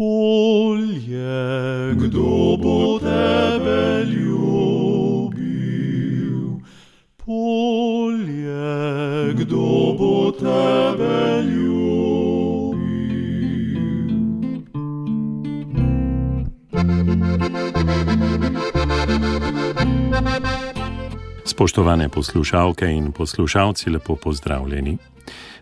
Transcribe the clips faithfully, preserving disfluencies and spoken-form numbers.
Polje, kdo bo tebe ljubil? Polje, kdo bo tebe ljubil? Spoštovane poslušalke in poslušalci, lepo pozdravljeni.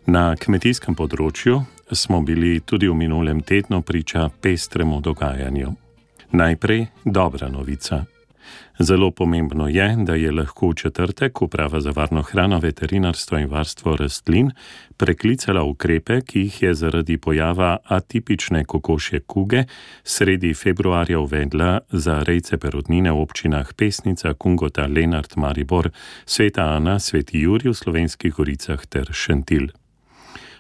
Na kmetijskem področju smo bili tudi v minulem tednu priča pestremu dogajanju. Najprej dobra novica. Zelo pomembno je, da je lahko v četrtek Uprava za varno hrano, veterinarstvo in varstvo rastlin preklicala ukrepe, ki jih je zaradi pojava atipične kokošje kuge sredi februarja uvedla za rejce perutnine v občinah Pesnica, Kungota, Lenart, Maribor, Sveta Ana, Sveti Jurij v Slovenskih goricah ter Šentilj.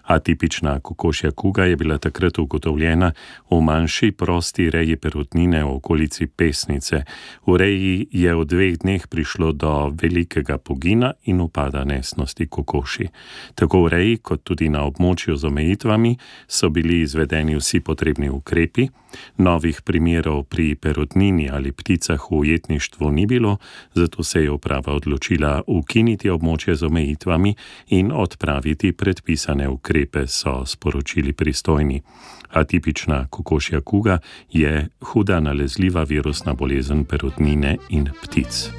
Atipična kokošja kuga je bila takrat ugotovljena v manjši prosti reji perutnine v okolici Pesnice. V reji je v dveh dneh prišlo do velikega pogina in upada nesnosti kokoši. Tako v reji kot tudi na območju z omejitvami so bili izvedeni vsi potrebni ukrepi. Novih primerov pri perutnini ali pticah v ujetništvu ni bilo, zato se je uprava odločila ukiniti območje z omejitvami in odpraviti predpisane ukrepe. So sporočili pristojni. Atipična kokošja kuga je huda nalezljiva virusna bolezen perutnine in ptic.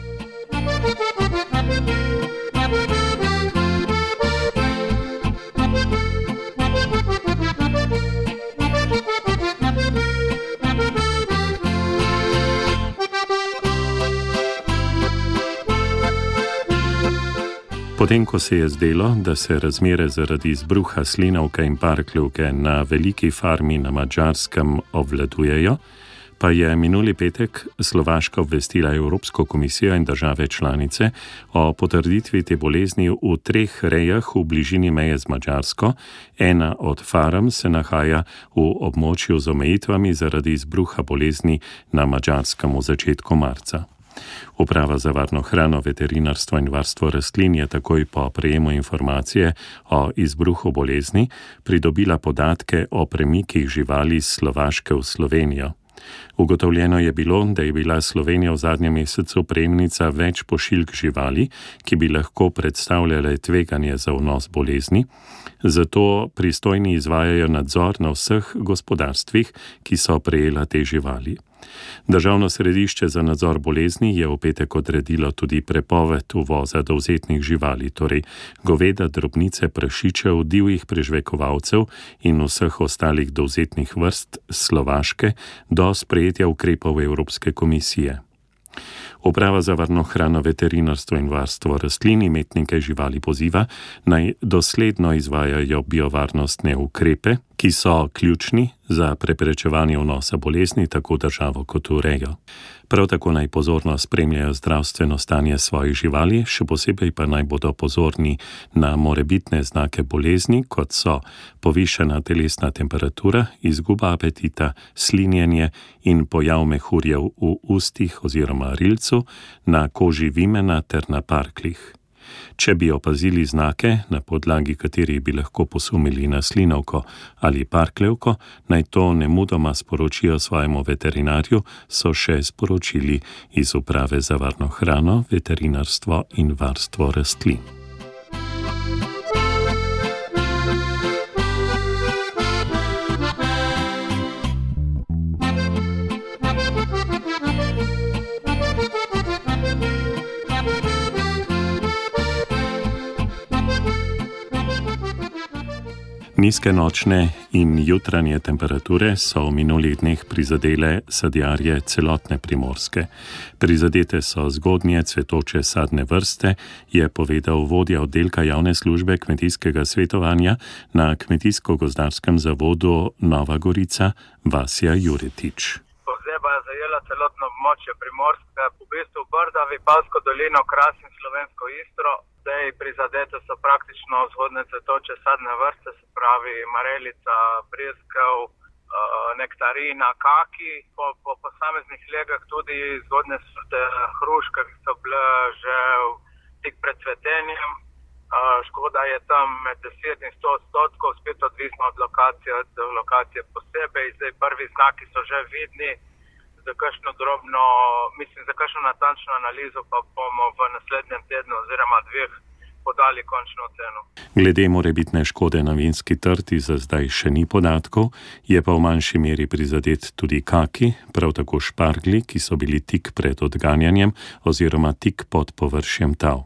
Potem, ko se je zdelo, da se razmere zaradi izbruha slinavke in parkljivke na veliki farmi na Madžarskem obvladujejo, pa je minuli petek Slovaška obvestila Evropsko komisijo in države članice o potrditvi te bolezni v treh rejah v bližini meje z Madžarsko. Ena od farm se nahaja v območju z omejitvami zaradi izbruha bolezni na Madžarskem v začetku marca. Uprava za varno hrano, veterinarstvo in varstvo rastlin je takoj po prejemu informacije o izbruhu bolezni pridobila podatke o premikih živali iz Slovaške v Slovenijo. Ugotovljeno je bilo, da je bila Slovenija v zadnjem mesecu prejemnica več pošiljk živali, ki bi lahko predstavljale tveganje za vnos bolezni, zato pristojni izvajajo nadzor na vseh gospodarstvih, ki so prejela te živali. Državno središče za nadzor bolezni je v petek odredilo tudi prepoved uvoza dovzetnih živali, torej goveda, drobnice, prašičev, divjih prežvekovalcev in vseh ostalih dovzetnih vrst Slovaške do sprejetja ukrepov Evropske komisije. Uprava za varno hrano, veterinarstvo in varstvo rastlin imetnike živali poziva, naj dosledno izvajajo biovarnostne ukrepe, ki so ključni za preprečevanje vnosa bolezni tako državo kot v rejo. Prav tako naj pozorno spremljajo zdravstveno stanje svojih živali, še posebej pa naj bodo pozorni na morebitne znake bolezni, kot so povišana telesna temperatura, izguba apetita, slinjenje in pojav mehurjev v ustih oziroma rilcu, na koži vimena ter na parkljih. Če bi opazili znake, na podlagi katerih bi lahko posumili na slinavko ali parkljevko, naj to nemudoma sporočijo svojemu veterinarju, so še sporočili iz Uprave za varno hrano, veterinarstvo in varstvo rastlin. Nizke nočne in jutranje temperature so v minulih dneh prizadele sadjarje celotne Primorske. Prizadete so zgodnje cvetoče sadne vrste, je povedal vodja oddelka javne službe kmetijskega svetovanja na Kmetijsko-gozdarskem zavodu Nova Gorica, Vasja Juretič. Pozeba je zajela celotno območje Primorske, v bistvu Brda, Vipavsko dolino, Kras in Slovensko Istro. Zdaj prizadete so praktično vzhodne cvetoče sadne vrste, se pravi marelica, breskev, nektarina, kaki, po, po posameznih legah tudi zgodne sorte hruške, ki so bile že tik pred cvetenjem. Škoda je tam med deset in sto odstotkov, spet odvisno od lokacije, od lokacije posebej. Zdaj prvi znaki so že vidni, za kakšno drobno, mislim, za kakšno natančno analizo pa bomo v naslednjem tednu oziroma dveh podali končno oceno. Glede morebitne škode na vinski trti za zdaj še ni podatkov, je pa v manjši meri prizadet tudi kaki, prav tako šparglji, ki so bili tik pred odganjanjem oziroma tik pod površjem tal.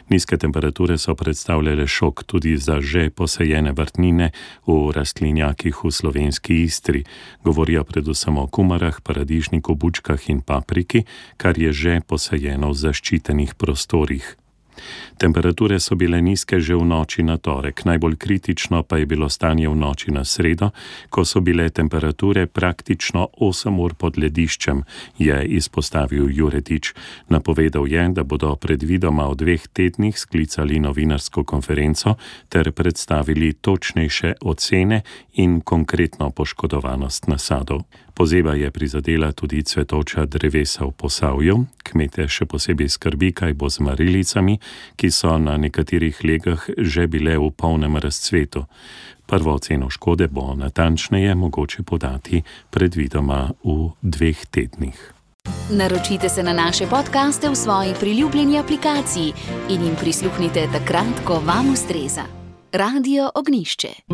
Nizke temperature so predstavljale šok tudi za že posajene vrtnine v rastlinjakih v slovenski Istri. Govorijo predvsem o kumarah, paradižniku, bučkah in papriki, kar je že posajeno v zaščitenih prostorih. Temperature so bile nizke že v noči na torek, najbolj kritično pa je bilo stanje v noči na sredo, ko so bile temperature praktično osem ur pod lediščem, je izpostavil Juretič. Napovedal je, da bodo predvidoma v dveh tednih sklicali novinarsko konferenco ter predstavili točnejše ocene in konkretno poškodovanost nasadov. Pozeba je prizadela tudi cvetoča drevesa v Posavju. Kmete še posebej skrbi, kaj bo z marilicami, ki so na nekaterih legah že bile v polnem razcvetu. Prvo oceno škode bo natančneje mogoče podati predvidoma v dveh tednih. Naročite se na naše podcaste v svoji priljubljeni aplikaciji in jim prisluhnite takrat, ko vam ustreza. Radio Ognjišče.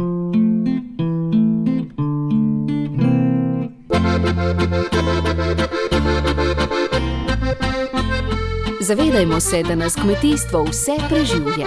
Zavedajmo se, da nas kmetijstvo vse preživlja.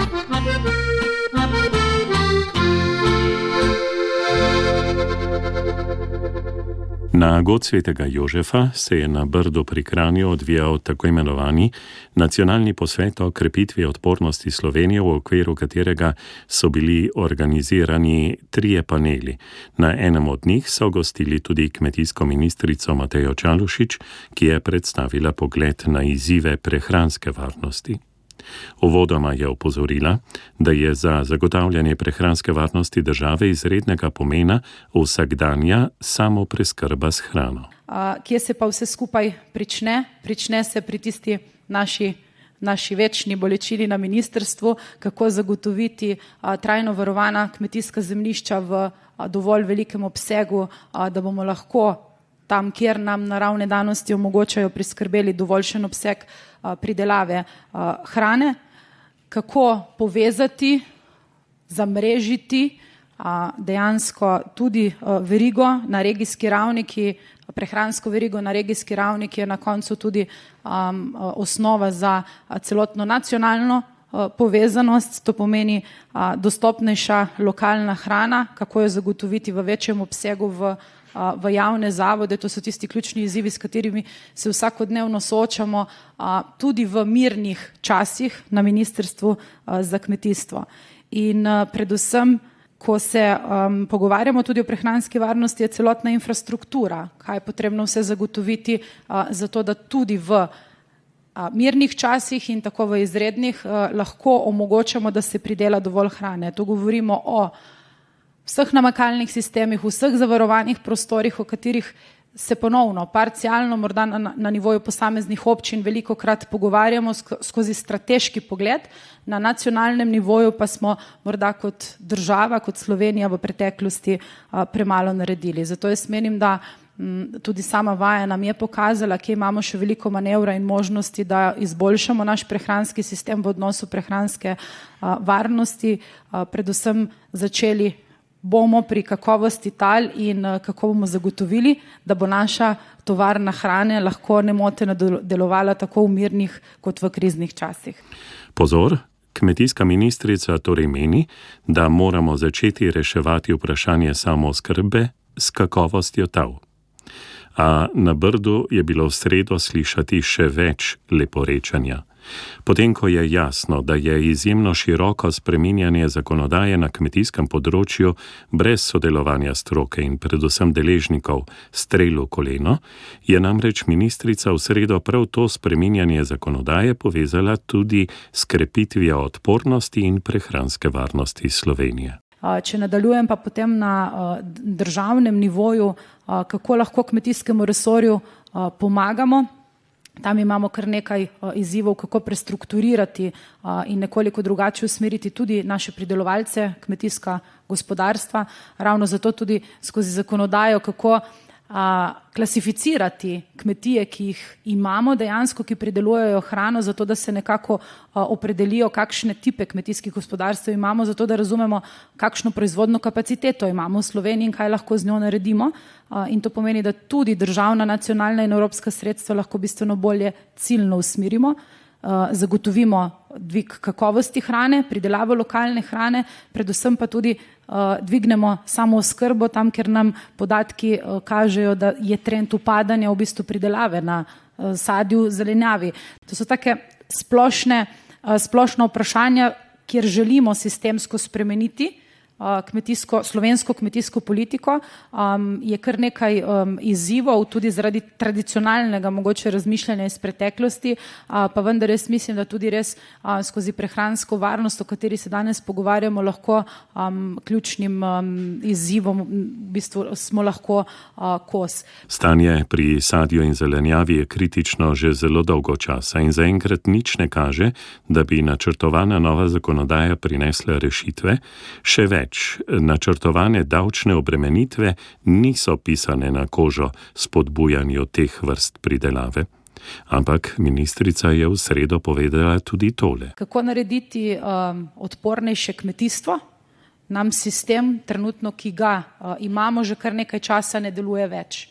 Na god svetega Jožefa se je na Brdu pri Kranju odvijal tako imenovani nacionalni posvet o krepitvi odpornosti Slovenije, v okviru katerega so bili organizirani trije paneli. Na enem od njih so gostili tudi kmetijsko ministrico Matejo Čalušić, ki je predstavila pogled na izzive prehranske varnosti. Uvodoma je opozorila, da je za zagotavljanje prehranske varnosti države izrednega pomena vsakdanja samopreskrba s hrano. A, kje se pa vse skupaj prične? Prične se pri tisti naši, naši večni bolečini na ministrstvu, kako zagotoviti a, trajno varovana kmetijska zemljišča v a, dovolj velikem obsegu, a, da bomo lahko tam, kjer nam naravne danosti omogočajo, priskrbeli dovoljšen obseg a, pridelave a, hrane, kako povezati, zamrežiti a, dejansko tudi a, verigo na regijski ravni, ki, prehransko verigo na regijski ravni, ki je na koncu tudi a, a, osnova za a, celotno nacionalno a, povezanost. To pomeni a, dostopnejša lokalna hrana, kako jo zagotoviti v večjem obsegu v v javne zavode. To so tisti ključni izzivi, s katerimi se vsakodnevno soočamo tudi v mirnih časih na Ministrstvu za kmetijstvo. In predvsem, ko se um, pogovarjamo tudi o prehranski varnosti, je celotna infrastruktura, kaj je potrebno vse zagotoviti, uh, zato da tudi v uh, mirnih časih in tako v izrednih uh, lahko omogočamo, da se pridela dovolj hrane. Tu govorimo o vseh namakalnih sistemih, vseh zavarovanih prostorih, o katerih se ponovno, parcialno, morda na, na nivoju posameznih občin veliko krat pogovarjamo skozi strateški pogled, na nacionalnem nivoju pa smo morda kot država, kot Slovenija v preteklosti a, premalo naredili. Zato jaz menim, da m, tudi sama vaja nam je pokazala, kje imamo še veliko manevra in možnosti, da izboljšamo naš prehranski sistem v odnosu prehranske a, varnosti, a, predvsem začeli bomo pri kakovosti tal in kako bomo zagotovili, da bo naša tovarna hrane lahko nemoteno delovala tako v mirnih kot v kriznih časih. Pozor, kmetijska ministrica torej meni, da moramo začeti reševati vprašanje samooskrbe s kakovostjo tal. A na Brdu je bilo v sredo slišati še več leporečanja. Potem, ko je jasno, da je izjemno široko spreminjanje zakonodaje na kmetijskem področju brez sodelovanja stroke in predvsem deležnikov strel v koleno, je namreč ministrica v sredo prav to spreminjanje zakonodaje povezala tudi s krepitvijo odpornosti in prehranske varnosti Slovenije. Če nadaljujem pa potem na državnem nivoju, kako lahko kmetijskemu resorju pomagamo. Tam imamo kar nekaj izzivov, kako prestrukturirati in nekoliko drugače usmeriti tudi naše pridelovalce, kmetijska gospodarstva, ravno zato tudi skozi zakonodajo, kako a, klasificirati kmetije, ki jih imamo dejansko, ki pridelujejo hrano, zato da se nekako a, opredelijo, kakšne tipe kmetijskih gospodarstv imamo, zato da razumemo, kakšno proizvodno kapaciteto imamo v Sloveniji in kaj lahko z njo naredimo. A, in to pomeni, da tudi državna, nacionalna in evropska sredstva lahko bistveno bolje ciljno usmerimo, a, zagotovimo dvig kakovosti hrane, pridelavo lokalne hrane, predvsem pa tudi uh, dvignemo samo oskrbo tam, ker nam podatki uh, kažejo, da je trend upadanja v bistvu pridelave na uh, sadju, zelenjavi. To so take splošne, uh, splošna vprašanja, kjer želimo sistemsko spremeniti uh, kmetijsko, slovensko kmetijsko politiko. Um, je kar nekaj um, izzivov, tudi zaradi tradicionalnega mogoče razmišljanja iz preteklosti, uh, pa vendar res mislim, da tudi res uh, skozi prehransko varnost, o kateri se danes pogovarjamo, lahko um, ključnim um, izzivom v bistvu smo lahko uh, kos. Stanje pri sadju in zelenjavi je kritično že zelo dolgo časa in zaenkrat nič ne kaže, da bi načrtovana nova zakonodaja prinesla rešitve. Še več, načrtovane davčne obremenitve niso pisane na kožo spodbujanju teh vrst pridelave. Ampak ministrica je v sredo povedala tudi tole. Kako narediti um, odpornejše kmetijstvo? Nam sistem, trenutno, ki ga uh, imamo že kar nekaj časa, ne deluje več.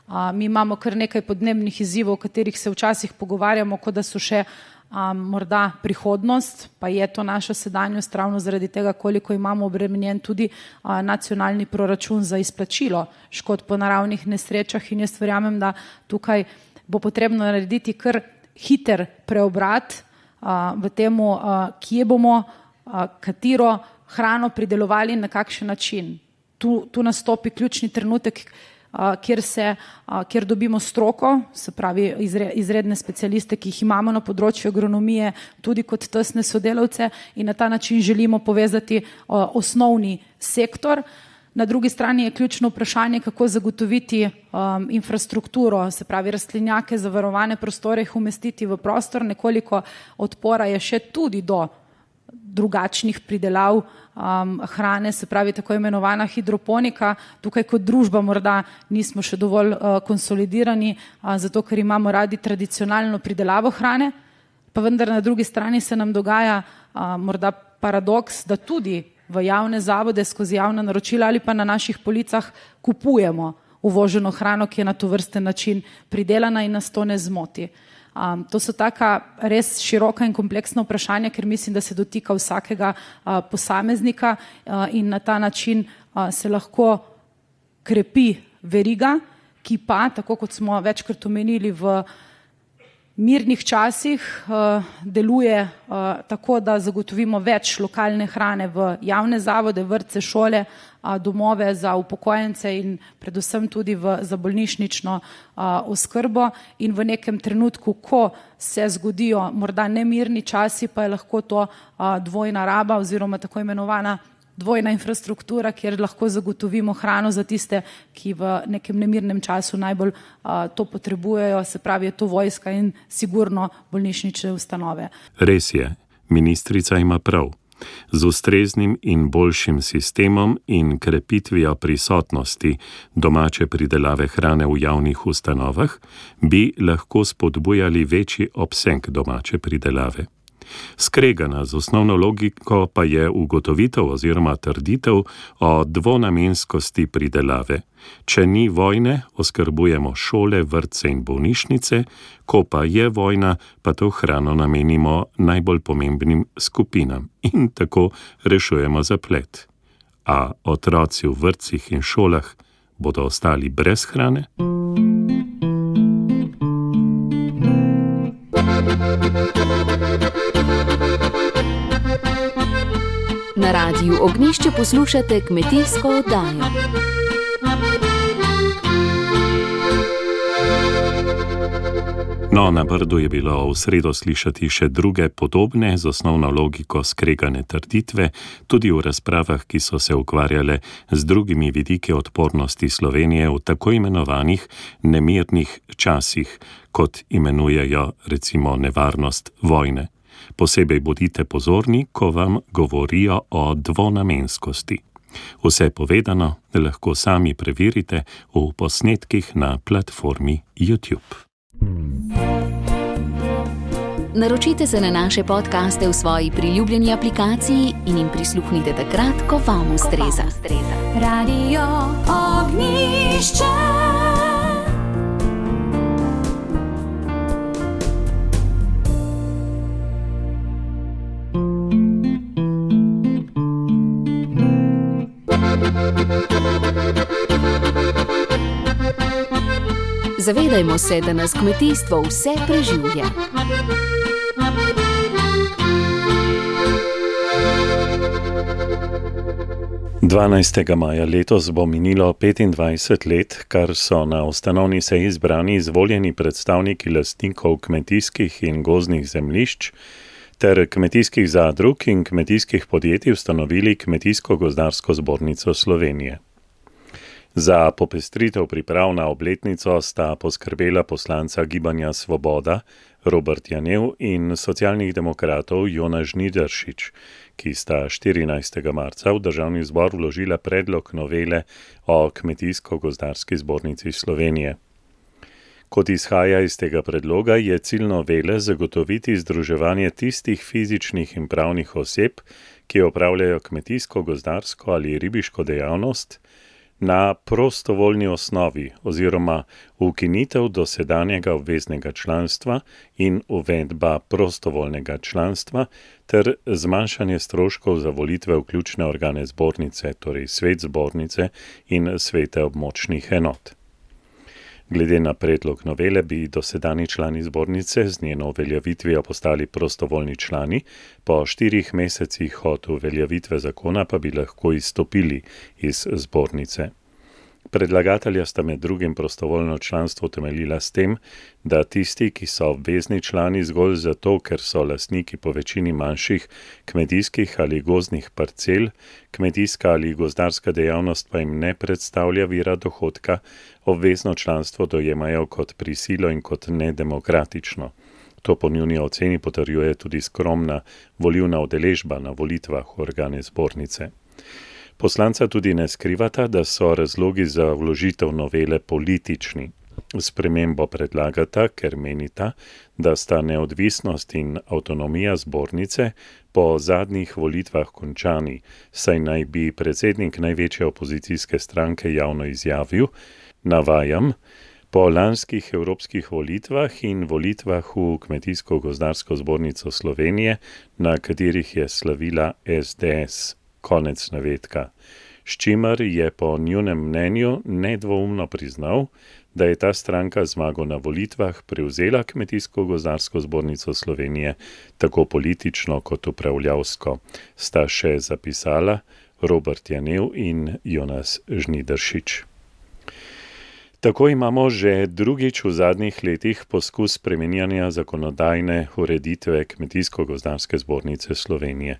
Uh, mi imamo kar nekaj podnebnih izzivov, o katerih se včasih pogovarjamo, kot da so še um, morda prihodnost, pa je to naša sedanjost ravno zaradi tega, koliko imamo obremenjen tudi uh, nacionalni proračun za izplačilo škod po naravnih nesrečah in jaz verjamem, da tukaj bo potrebno narediti kar hiter preobrat uh, v temu, uh, kje bomo, uh, katero hrano pridelovali in na kakšen način. Tu, tu nastopi ključni trenutek, uh, kjer, se, uh, kjer dobimo stroko, se pravi izre, izredne specialiste, ki jih imamo na področju agronomije, tudi kot tesne sodelavce in na ta način želimo povezati uh, osnovni sektor. Na drugi strani je ključno vprašanje, kako zagotoviti um, infrastrukturo, se pravi rastlinjake, zavarovane prostore, jih umestiti v prostor. Nekoliko odpora je še tudi do drugačnih pridelav um, hrane, se pravi tako imenovana hidroponika. Tukaj kot družba morda nismo še dovolj uh, konsolidirani, uh, zato ker imamo radi tradicionalno pridelavo hrane, pa vendar na drugi strani se nam dogaja uh, morda paradoks, da tudi v javne zavode skozi javna naročila ali pa na naših policah kupujemo uvoženo hrano, ki je na to vrsten način pridelana in nas to ne zmoti. Um, to so taka res široka in kompleksna vprašanja, ker mislim, da se dotika vsakega uh, posameznika uh, in na ta način uh, se lahko krepi veriga, ki pa, tako kot smo večkrat omenili, v mirnih časih uh, deluje uh, tako, da zagotovimo več lokalne hrane v javne zavode, vrtce, šole, uh, domove za upokojence in predvsem tudi v, za bolnišnično uh, oskrbo. In v nekem trenutku, ko se zgodijo morda nemirni časi, pa je lahko to uh, dvojna raba oziroma tako imenovana dvojna infrastruktura, kjer lahko zagotovimo hrano za tiste, ki v nekem nemirnem času najbolj uh, to potrebujejo, se pravi, je to vojska in sigurno bolnišnične ustanove. Res je, ministrica ima prav. Z ustreznim in boljšim sistemom in krepitvijo prisotnosti domače pridelave hrane v javnih ustanovah bi lahko spodbujali večji obseg domače pridelave. Skregana z osnovno logiko pa je ugotovitev oziroma trditev o dvonamenskosti pridelave. Če ni vojne, oskrbujemo šole, vrtce in bolnišnice, ko pa je vojna, pa to hrano namenimo najbolj pomembnim skupinam in tako rešujemo zaplet. A otroci v vrtcih in šolah bodo ostali brez hrane? Na Radiu Ognjišče poslušate kmetijsko oddajo. No, na Brdu je bilo v sredo slišati še druge podobne z osnovno logiko skregane trditve, tudi v razpravah, ki so se ukvarjale z drugimi vidiki odpornosti Slovenije v tako imenovanih nemirnih časih, kot imenujejo recimo nevarnost vojne. Posebej bodite pozorni, ko vam govorijo o dvonamenskosti. Vse povedano lahko sami preverite v posnetkih na platformi YouTube. Naročite se na naše podcaste v svoji priljubljeni aplikaciji in jim prisluhnite takrat, ko vam ustreza. Radio Ognjišče. Zavedajmo se, da nas kmetijstvo vse preživlja. dvanajstega maja letos bo minilo petindvajset let, kar so na ustanovni seji zbrani izvoljeni predstavniki lastnikov kmetijskih in gozdnih zemljišč ter kmetijskih zadrug in kmetijskih podjetij ustanovili Kmetijsko-gozdarsko zbornico Slovenije. Za popestritev priprav na obletnico sta poskrbela poslanca Gibanja Svoboda Robert Janev in socialnih demokratov Jonas Žnidaršič, ki sta štirinajstega marca v Državni zbor vložila predlog novele o Kmetijsko-gozdarski zbornici Slovenije. Kot izhaja iz tega predloga, je cilj novele zagotoviti združevanje tistih fizičnih in pravnih oseb, ki opravljajo kmetijsko-gozdarsko ali ribiško dejavnost, na prostovoljni osnovi oziroma ukinitev dosedanjega obveznega članstva in uvedba prostovoljnega članstva ter zmanjšanje stroškov za volitve v ključne organe zbornice, torej svet zbornice in svete območnih enot. Glede na predlog novele bi dosedanji člani zbornice z njeno uveljavitvijo postali prostovoljni člani, po štirih mesecih od uveljavitve zakona pa bi lahko izstopili iz zbornice. Predlagatelja sta med drugim prostovoljno članstvo temeljila s tem, da tisti, ki so obvezni člani zgolj zato, ker so lastniki po večini manjših kmetijskih ali gozdnih parcel, kmetijska ali gozdarska dejavnost pa jim ne predstavlja vira dohodka, obvezno članstvo dojemajo kot prisilo in kot nedemokratično. To po njuni oceni potrjuje tudi skromna volilna udeležba na volitvah v organe zbornice. Poslanca tudi ne skrivata, da so razlogi za vložitev novele politični. Spremembo predlagata, ker menita, da sta neodvisnost in avtonomija zbornice po zadnjih volitvah končani, saj naj bi predsednik največje opozicijske stranke javno izjavil, navajam, po lanskih evropskih volitvah in volitvah v Kmetijsko-gozdarsko zbornico Slovenije, na katerih je slavila es de es. Konec navedka. S čimer je po njunem mnenju nedvoumno priznal, da je ta stranka zmago na volitvah prevzela Kmetijsko-gozdarsko zbornico Slovenije tako politično kot upravljavsko, sta še zapisala Robert Janev in Jonas Žnidaršič. Tako imamo že drugič v zadnjih letih poskus spreminjanja zakonodajne ureditve Kmetijsko-gozdarske zbornice Slovenije.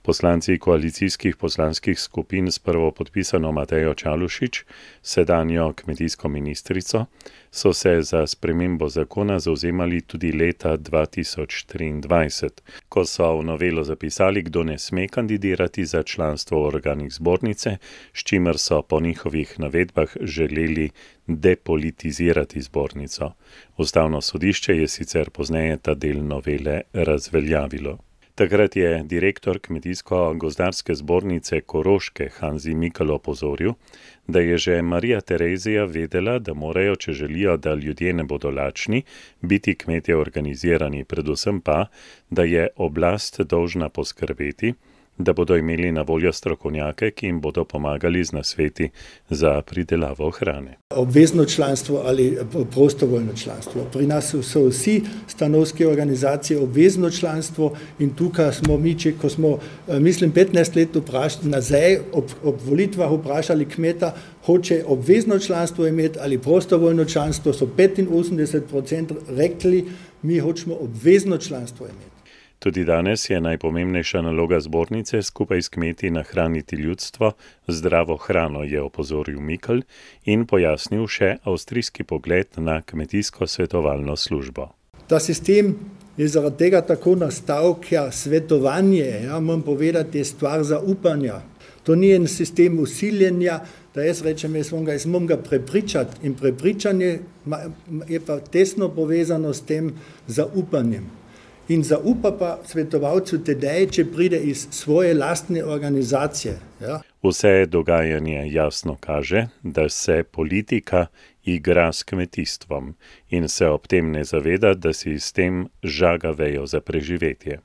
Poslanci koalicijskih poslanskih skupin s prvopodpisano Matejo Čalušić, sedanjo kmetijsko ministrico, so se za spremembo zakona zavzemali tudi leta dva tisoč triindvajset, ko so v novelo zapisali, kdo ne sme kandidirati za članstvo v organih zbornice, s čimer so po njihovih navedbah želeli depolitizirati zbornico. Ustavno sodišče je sicer pozneje ta del novele razveljavilo. Takrat je direktor Kmetijsko-gozdarske zbornice Koroške Hanzi Mikl opozoril, da je že Marija Terezija vedela, da morajo, če želijo, da ljudje ne bodo lačni, biti kmetje organizirani, predvsem pa, da je oblast dolžna poskrbeti, da bodo imeli na voljo strokovnjake, ki jim bodo pomagali z nasveti za pridelavo hrane. Obvezno članstvo ali prostovoljno članstvo. Pri nas so vsi stanovske organizacije obvezno članstvo in tukaj smo mi, če, ko smo, mislim, petnajst let vpraš, nazaj ob, ob volitvah vprašali kmeta, hoče obvezno članstvo imeti ali prostovoljno članstvo, so petinosemdeset procentov rekli, mi hočemo obvezno članstvo imeti. Tudi danes je najpomembnejša naloga zbornice skupaj s kmeti nahraniti ljudstvo, zdravo hrano, je opozoril Mikl in pojasnil še avstrijski pogled na kmetijsko svetovalno službo. Ta sistem je zaradi tega tako nastal, ker svetovanje, ja, moram povedati, je stvar zaupanja. To ni en sistem usiljenja, da jaz rečem, jaz moram ga, jaz moram ga prepričati in prepričanje je pa tesno povezano s tem zaupanjem. In zaupa pa svetovalcu tedaj, če pride iz svoje lastne organizacije. Ja. Vse dogajanje jasno kaže, da se politika igra s kmetijstvom in se ob tem ne zaveda, da si s tem žaga vejo za preživetje.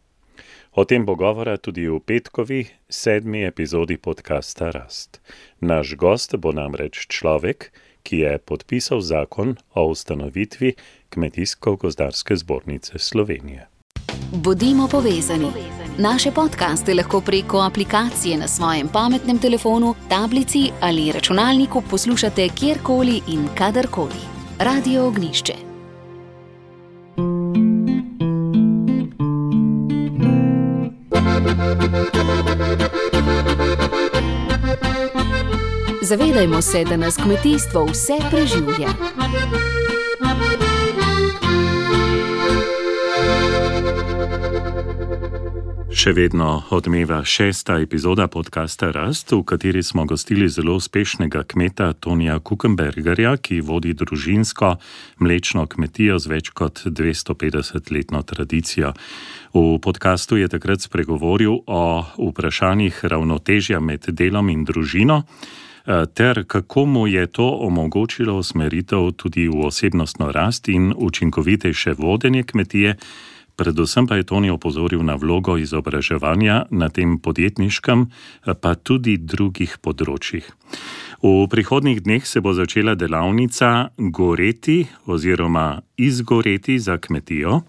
O tem bo govora tudi v petkovi sedmi epizodi podcasta Rast. Naš gost bo namreč človek, ki je podpisal zakon o ustanovitvi Kmetijsko-gozdarske zbornice Slovenije. Bodimo povezani. Naše podcaste lahko preko aplikacije na svojem pametnem telefonu, tablici ali računalniku poslušate kjerkoli in kadarkoli. Radio Ognjišče. Zavedajmo se, da nas kmetijstvo vse preživlja. Še vedno odmeva šesta epizoda podcasta Rast, v kateri smo gostili zelo uspešnega kmeta Tonija Kukenbergerja, ki vodi družinsko mlečno kmetijo z več kot dvesto petdeset letno tradicijo. V podcastu je takrat spregovoril o vprašanjih ravnotežja med delom in družino, ter kako mu je to omogočilo usmeritev tudi v osebnostno rast in učinkovitejše vodenje kmetije. Predvsem pa je Toni opozoril na vlogo izobraževanja na tem podjetniškem, pa tudi drugih področjih. V prihodnjih dneh se bo začela delavnica Goreti oziroma Izgoreti za kmetijo,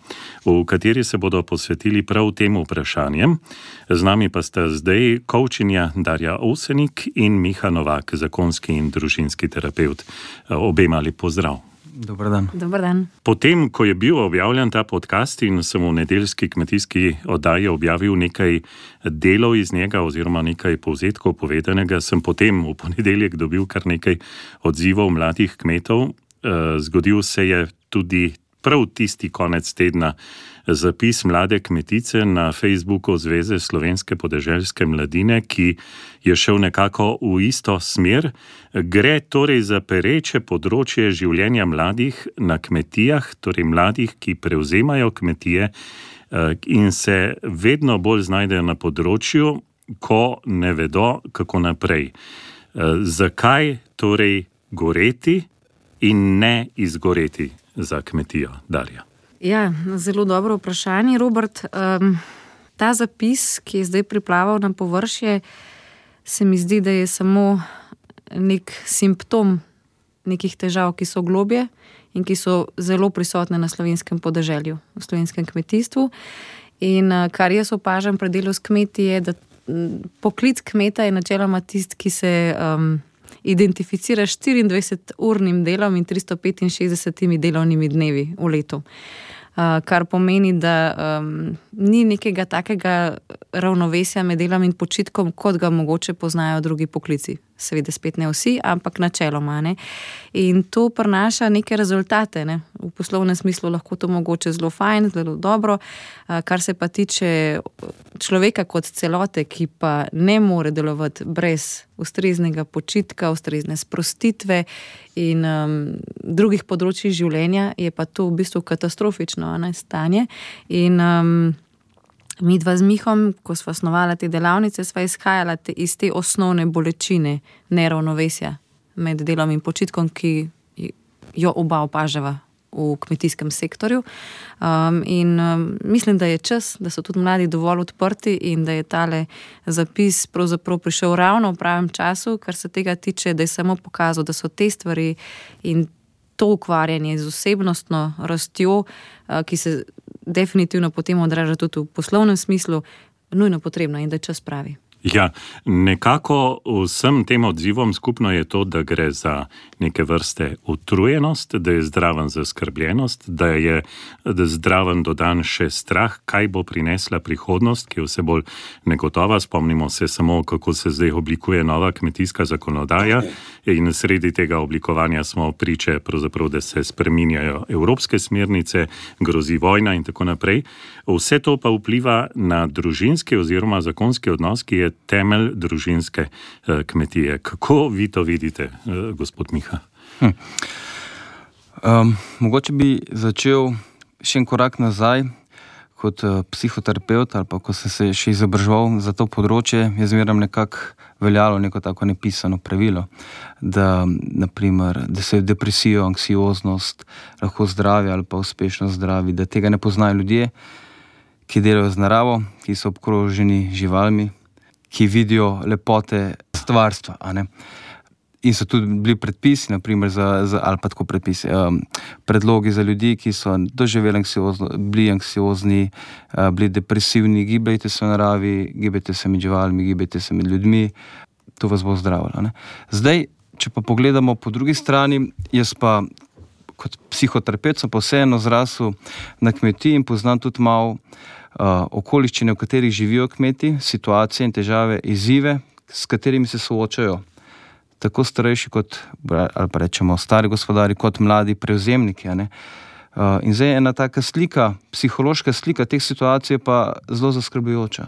v kateri se bodo posvetili prav tem vprašanjem. Z nami pa sta zdaj coachinja Darja Ovsenik in Miha Novak, zakonski in družinski terapevt. Obema lep pozdrav. Dobar dan. Dobar dan. Potem, ko je bil objavljen ta podcast in sem v nedeljski kmetijski oddaji objavil nekaj delov iz njega oziroma nekaj povzetkov povedanega, sem potem v ponedeljek dobil kar nekaj odzivov mladih kmetov. Zgodil se je tudi prav tisti konec tedna zapis mlade kmetice na Facebooku Zveze slovenske podeželske mladine, ki je šel nekako v isto smer. Gre torej za pereče področje življenja mladih na kmetijah, torej mladih, ki prevzemajo kmetije in se vedno bolj znajdejo na področju, ko ne vedo, kako naprej. Zakaj torej goreti in ne izgoreti za kmetijo, Darja? Ja, zelo dobro vprašanje, Robert. Um, ta zapis, ki je zdaj priplaval na površje, se mi zdi, da je samo nek simptom nekih težav, ki so globje in ki so zelo prisotne na slovenskem podeželju, v slovenskem kmetijstvu. In kar jaz opažam pri delu s kmeti je, da poklic kmeta je načeloma tisti, ki se um, identificira štiriindvajseturnim delom in tristo petinšestdesetimi delovnimi dnevi v letu. Uh, kar pomeni, da um, ni nekega takega ravnovesja med delom in počitkom, kot ga mogoče poznajo drugi poklici. Seveda spet ne vsi, ampak načeloma. Ne? In to prinaša neke rezultate. Ne? V poslovnem smislu lahko to mogoče zelo fajn, zelo dobro. Uh, kar se pa tiče človeka kot celote, ki pa ne more delovati brez ustreznega počitka, ustrezne sprostitve in um, drugih področij življenja, je pa to v bistvu katastrofično ne, stanje. In um, mi dva z Mihom, ko sva snovala te delavnice, sva izhajala te, iz te osnovne bolečine neravnovesja med delom in počitkom, ki jo oba opažava v kmetijskem sektorju. Um, in um, mislim, da je čas, da so tudi mladi dovolj odprti in da je tale zapis pravzaprav prišel ravno v pravem času, kar se tega tiče, da je samo pokazal, da so te stvari in to ukvarjanje z osebnostno rastjo, uh, ki se definitivno potem odraža tudi v poslovnem smislu, nujno potrebno in da je čas pravi. Ja, nekako vsem tem odzivom skupno je to, da gre za neke vrste utrujenost, da je zdraven zaskrbljenost, da je da zdraven dodan še strah, kaj bo prinesla prihodnost, ki je vse bolj negotova. Spomnimo se samo, kako se zdaj oblikuje nova kmetijska zakonodaja in sredi tega oblikovanja smo priče, pravzaprav, da se spreminjajo evropske smernice, grozi vojna in tako naprej. Vse to pa vpliva na družinski oziroma zakonski odnos, ki je temelj družinske eh, kmetije. Kako vi to vidite, eh, gospod Miha? Hm. Um, mogoče bi začel še en korak nazaj kot uh, psihoterapeut ali pa ko sem se še izobraževal za to področje, je zmeraj nekako veljalo neko tako nepisano pravilo, da, naprimer, da se depresijo, anksioznost lahko zdravi ali pa uspešno zdravi, da tega ne poznajo ljudje, ki delajo z naravo, ki so obkroženi živalmi, ki vidijo lepote stvarstva, a ne. In so tudi bili predpisi, naprimer, za, za, ali pa tako predpisi, um, predlogi za ljudi, ki so doživeli anksiozno, bili anksiozni, uh, bili depresivni, gibajte se v naravi, gibajte se med živalmi, gibajte se med ljudmi, to vas bo zdravilo, ne. Zdaj, če pa pogledamo po drugi strani, jaz pa kot psihoterapeut sem pa vseeno zrasel na kmetiji in poznam tudi malo uh, okoliščine, v katerih živijo kmeti, situacije in težave, izzive, s katerimi se soočajo tako starejši kot, ali pa rečemo stari gospodari, kot mladi prevzemniki, a ne. Uh, in zdaj ena taka slika, psihološka slika teh situacij je pa zelo zaskrbljujoča.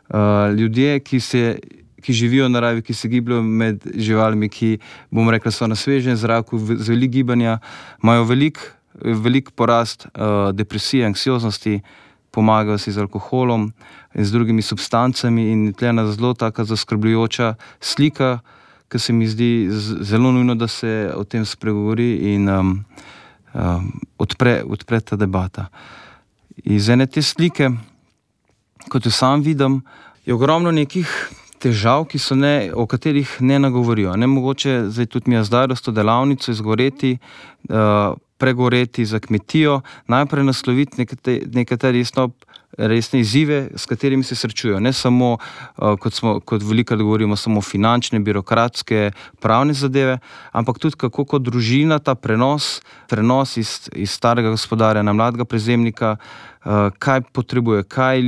Uh, ljudje, ki se ki živijo v naravi, ki se gibljajo med živalmi, ki, bomo rekli, so na svežem zraku, z veliko gibanja, imajo velik, velik porast uh, depresije, anksioznosti, pomagajo si z alkoholom in z drugimi substancami in tle ena zelo taka zaskrbljujoča slika, ki se mi zdi zelo nujno, da se o tem spregovori in um, um, odpre, odpre ta debata. Iz ene te slike, kot jo sam vidim, je ogromno nekih težav, ki so ne, o katerih ne nagovorijo. Ne mogoče zdaj tudi mi je zdaj to delavnico izgoreti, uh, pregoreti za kmetijo, najprej nasloviti nekatere resno, resne izzive, s katerimi se srečujejo. Ne samo, uh, kot, smo, kot velikokrat govorimo, samo finančne, birokratske, pravne zadeve, ampak tudi kako kot družina ta prenos, prenos iz, iz starega gospodarja na mladega prevzemnika, uh, kaj potrebuje, kaj,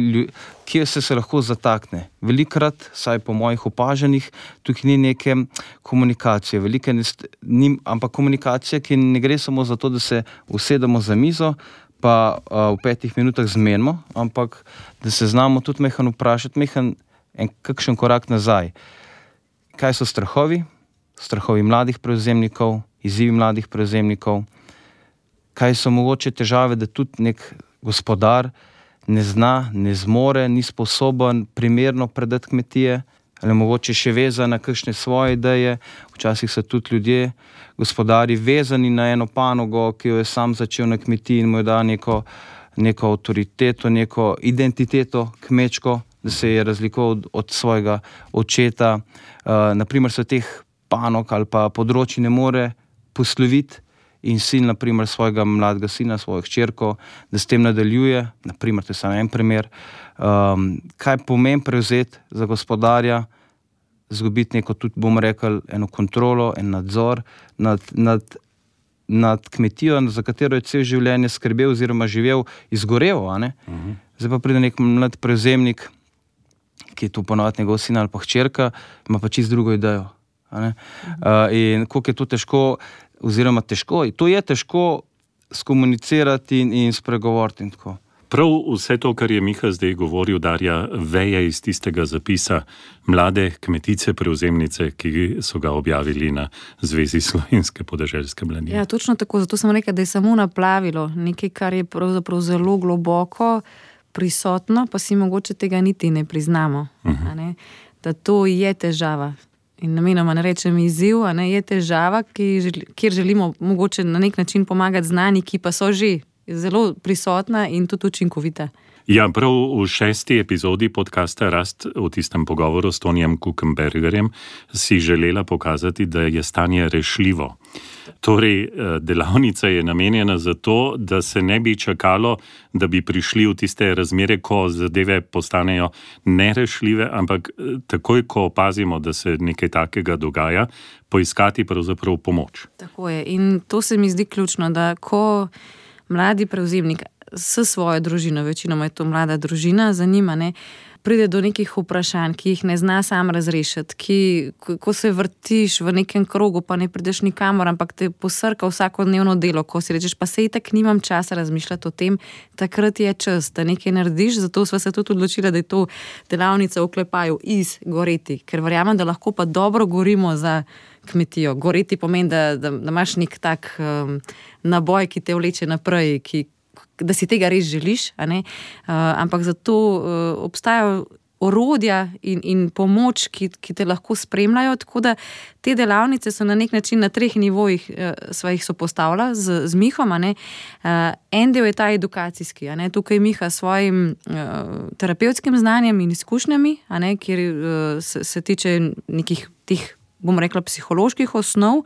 kje se se lahko zatakne. Velikokrat, saj po mojih opažanjih, tukaj ni neke komunikacije, velike, ni, ampak komunikacija, ki ne gre samo za to, da se usedemo za mizo, pa uh, v petih minutah zmenimo, ampak da se znamo tudi mehan vprašati, mehan en kakšen korak nazaj. Kaj so strahovi? Strahovi mladih prevzemnikov, izzivi mladih prevzemnikov. Kaj so mogoče težave, da tudi nek gospodar ne zna, ne zmore, ni sposoben primerno predati kmetije, ali mogoče še vezan na kakšne svoje ideje. Včasih so tudi ljudje, gospodari, vezani na eno panogo, ki jo je sam začel na kmetiji in mu je dal neko, neko avtoriteto, neko identiteto kmečko, da se je razlikoval od, od svojega očeta. Uh, naprimer se teh panog ali pa področji ne more posloviti in sin, naprimer, svojega mladega sina, svojo hčerko, da s tem nadaljuje, naprimer, to je samo en primer, um, kaj pomeni prevzeti za gospodarja, zgubiti neko, tudi bomo rekli, eno kontrolo, en nadzor nad, nad, nad kmetijo, za katero je cel življenje skrbel oziroma živel, izgoreval, a ne? Uh-huh. Zdaj pa pride nek mlad prevzemnik, ki je tu ponovati njegov sin ali pa hčerka, ima pa čisto drugo idejo, a ne? Uh-huh. Uh, in koliko je to težko, oziroma težko, to je težko skomunicirati in, in spregovoriti in tako. Prav vse to, kar je Miha zdaj govoril, Darja, veje iz tistega zapisa mlade kmetice prevzemnice, ki so ga objavili na Zvezi slovenske podeželske mladine. Ja, točno tako, zato sem rekel, da je samo naplavilo nekaj, kar je pravzaprav zelo globoko prisotno, pa si mogoče tega niti ne priznamo. Uh-huh. A ne? Da to je težava. in namenoma ne rečem izziv, a ne, je težava, ki, kjer želimo mogoče na nek način pomagati znani, ki pa so že zelo prisotna in tudi učinkovita. Ja, prav v šesti epizodi podcasta Rast v tistem pogovoru s Tonijem Kukenbergerjem si želela pokazati, da je stanje rešljivo. Torej, delavnica je namenjena za to, da se ne bi čakalo, da bi prišli v tiste razmere, ko zadeve postanejo nerešljive, ampak takoj, ko opazimo, da se nekaj takega dogaja, poiskati pravzaprav pomoč. Tako je. In to se mi zdi ključno, da ko mladi prevzemnik s svojo družino, večinoma je to mlada družina, za njima, ne, pride do nekih vprašanj, ki jih ne zna sam razrešiti, ki, ko se vrtiš v nekem krogu, pa ne prideš nikamor, ampak te posrka vsakodnevno delo, ko si rečeš, pa sej tak nimam časa razmišljati o tem, takrat je čas, da nekaj narediš, zato sva se tudi odločila, da je to delavnica v oklepaju iz goreti, ker verjamem, da lahko pa dobro gorimo za kmetijo. Goreti pomeni, da, da, da imaš nek tak um, naboj, ki te vleče naprej, ki da si tega res želiš, a ne? Uh, ampak zato uh, obstajajo orodja in, in pomoč, ki, ki te lahko spremljajo, tako da te delavnice so na nek način na treh nivojih uh, sva jih sopostavila z, z Mihom, a ne? Uh, en del je ta edukacijski, a ne? Tukaj Miha s svojim uh, terapevtskim znanjem in izkušnjami, a ne? Kjer uh, se, se tiče nekih tih, bom rekla, psiholoških osnov,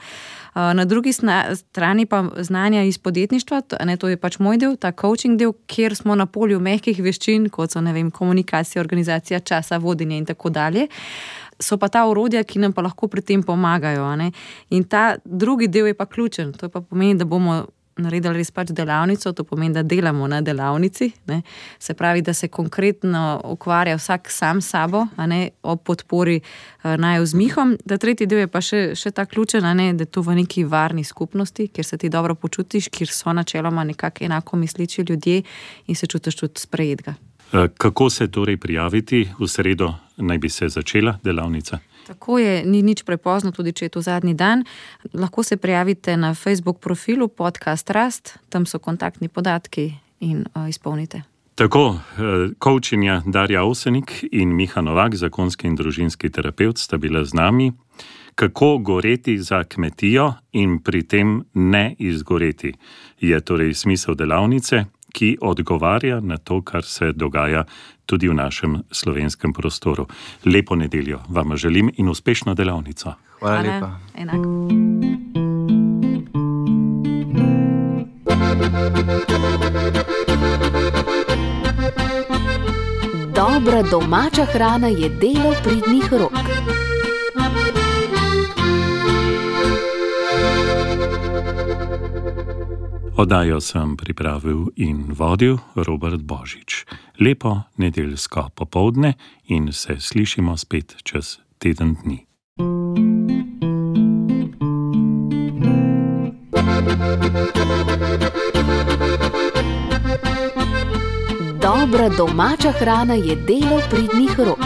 na drugi strani pa znanja iz podjetništva, ne, to je pač moj del, ta coaching del, kjer smo na polju mehkih veščin, kot so, ne vem, komunikacija, organizacija časa, vodenje in tako dalje. So pa ta orodja, ki nam pa lahko pri tem pomagajo. A ne. In ta drugi del je pa ključen, to pa pomeni, da bomo naredili res pač delavnico, to pomeni, da delamo na delavnici, ne. Se pravi, da se konkretno ukvarja vsak sam sabo, a ne, ob podpori uh, naju z Mihom. Da tretji del je pa še, še ta ključen, a ne, da je to v neki varni skupnosti, kjer se ti dobro počutiš, kjer so načeloma nekako enako misliči ljudje in se čutiš tudi sprejetega. Kako se torej prijaviti? V sredo naj bi se začela delavnica? Tako je, ni nič prepozno, tudi če je to zadnji dan. Lahko se prijavite na Facebook profilu Podcast Rast, tam so kontaktni podatki in uh, izpolnite. Tako, coachinja Darja Ovsenik in Miha Novak, zakonski in družinski terapevt, sta bila z nami. Kako goreti za kmetijo in pri tem ne izgoreti, je torej smisel delavnice, ki odgovarja na to, kar se dogaja tudi v našem slovenskem prostoru. Lepo nedeljo vam želim in uspešno delavnico. Hvala lepa. Enako. Dobra domača hrana je delo pridnih rok. Oddajo sem pripravil in vodil Robert Božič. Lepo nedeljsko popoldne in se slišimo spet čez teden dni. Dobra domača hrana je delo pridnih rok.